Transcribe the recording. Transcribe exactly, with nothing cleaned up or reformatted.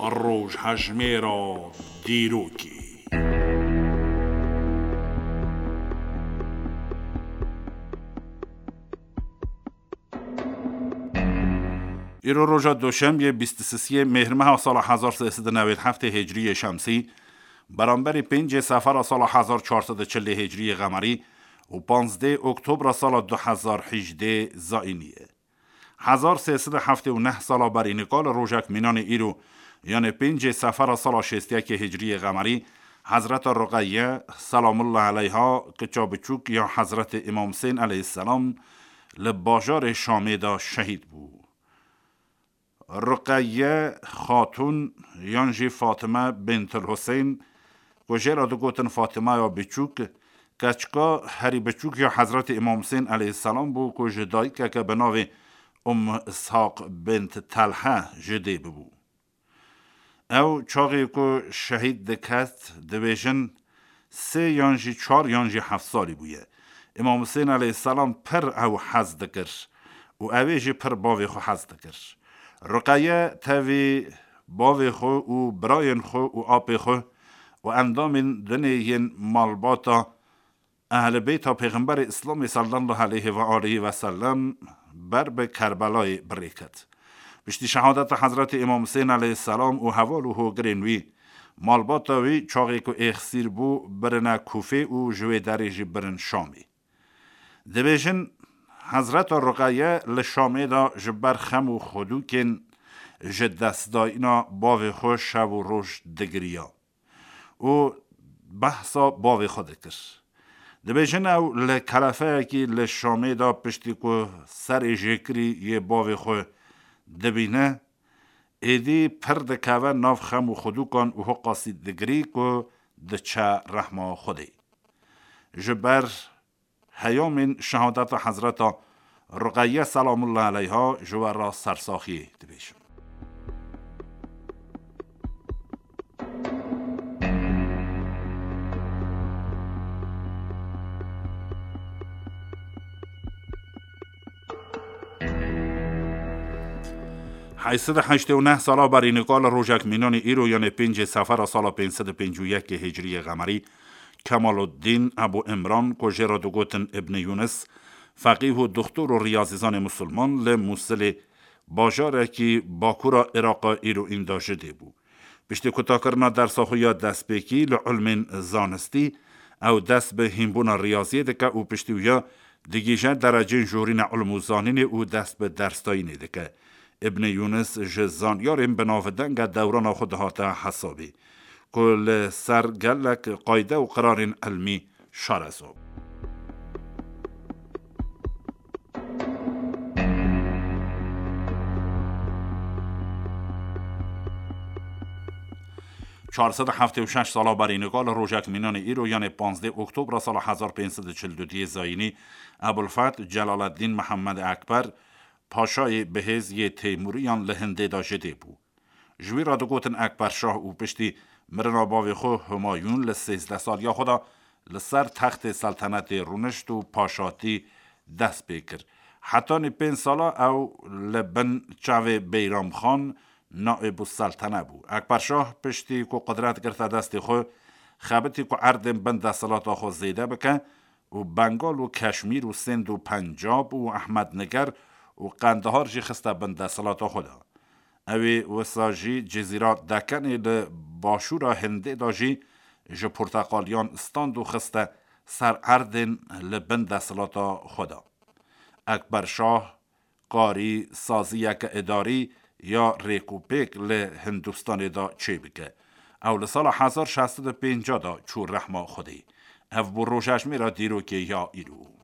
Rojhejmêra dîrokê. Îro roja Doşembiyê bîst û sisiyê Mêhrmeha sala hezar sê sed û newêd heftê Hicriyê Şemsî, beramberî pêncê Sefera sala hezar çar sed û çilê Hicriyê Qemerî û panzdê Oktobra sala du hezar hîjdê Zayînî ye. Hezar sê sed û heftê û neh sala berî nika li rojek mînanê îro, yanê pêncê Sefera sala şêst yekê Hicriyê Qemerî, Hezreta Ruqeye, selamullah eleyha, kiça biçûk ya Hezretê Îmam Husên eleyhisselam, li bajarê Şamê de şehîd bû. Ruqeye Xatûn yan jî Fatime Bintul Husên, ku jê re digotin Fatimeya Biçûk, keçika herî biçûk ya Hezretê Îmam Husên eleyhisselam bû, ku ji dayikeke bi navê Umm Ishaq bint Telhe ji dê bibû. Ew çaxê ku şehîd diket, dibêjin, sê yan jî çar yan jî heft salî bûye. Îmam Husên eleyhisselam pir ew hez dikir û ew ê jî pir bavê xwe hez dikir. Ruqeye tevî bavê xwe û birayên xwe û apê xwe û endamên dinê yên malbata Ehlê Beyta Pêxemberê Îslamê sallallahu aleyhi ve aleyhi ve sellem ber bi Kerbelayê bi rê ket. Piştî şehadeta Hezretê Îmam Husên eleyhisselam û heval û hogirên wî, malbata wî çaxê ku êxsîr bû, birine Kûfê û ji wê derê jî birin Şamê. Dibêjin, Hezreta Ruqeye li Şamê de ji ber xem û xwedûkên ji destdayîna bavê xwe şev û roj digiriya û behsa bavê xwe dikir. Dibêjin, ew li kelefeyekî li Şamê de piştî ku serê jêkirî yê bavê xwe dibîne, êdî pir dikeve nav xem û xwedûkan û hiqasî digirî ku diçe rehma Xwedê. Ji ber heyamên şehadeta Hezreta Ruqeye selamullah eleyha ji we re sersaxiyê dibêjim. Heyşt sed û heştê û neh sala berî nika li rojek mînanê îro, yanê pêncê Sefera sala pênc sed û pêncî û yekê Hicriyê Qemerî, Kemaluddîn Ebû Îmran, ku jê re digotin Îbnî Yûnis, feqîh û doxtor û riyazîzanê musulman, li Mûsilê, bajarekî bakura Îraqa îro înda ji dê bû. Piştî kutakirina dersa xwe ya destpêkî li ilmên zanistî, ew dest bi hînbûna riyaziyê dike û piştî wiya digihîje derecên jorîna ilm û zanînê û dest bi dersdayînê dike. Îbnî Yûnis ji zanyarên bi navdeng e dewrana xwe dihate hesabê, ku li ser gelek qayde û qirarên ilmî şareza bû. Çar sed û heftê û şeş sala berî nika li rojek mînanê îro, yanê panzdeh Oktobra sala hezar pênc sed û çil û duyê Zayînî, Ebulfeth Celaleddîn Mihemed Ekber, paşayê bihêz yê Teymûriyan li Hindê de ji dê bû. Ji wî re digotin Ekber Şah û piştî mirina bavê xwe Humayûn li sêzdeh saliya xwe de li ser textê seltenetê rûnişt û paşatî dest pê kir. Hetanî pênc sala ew li bin çavê Beyram Xan naîbû seltene bû. Ekber Şah piştî ku qudret girte destê xwe, xebitî ku erdên bin desthilata xwe zêde bike, û Bengal û Keşmîr û Sind û Pencab û Ehmed Niger û Qendahar jî xiste bin desthilata xwe de. Ew ê wisa jî Cizîra Dekenê li başûra Hindê de jî ji porteqaliyan stand û xiste ser erdên li bin desthilata xwe de. Ekber Şah karî saziyeke îdarî ya rêkûpêk li Hindistanê de çêbike. Ew li sala hezar şeş sed û pêncî de çû rehma Xwedê. Ev bû rojejmêra dîrokê ya îro.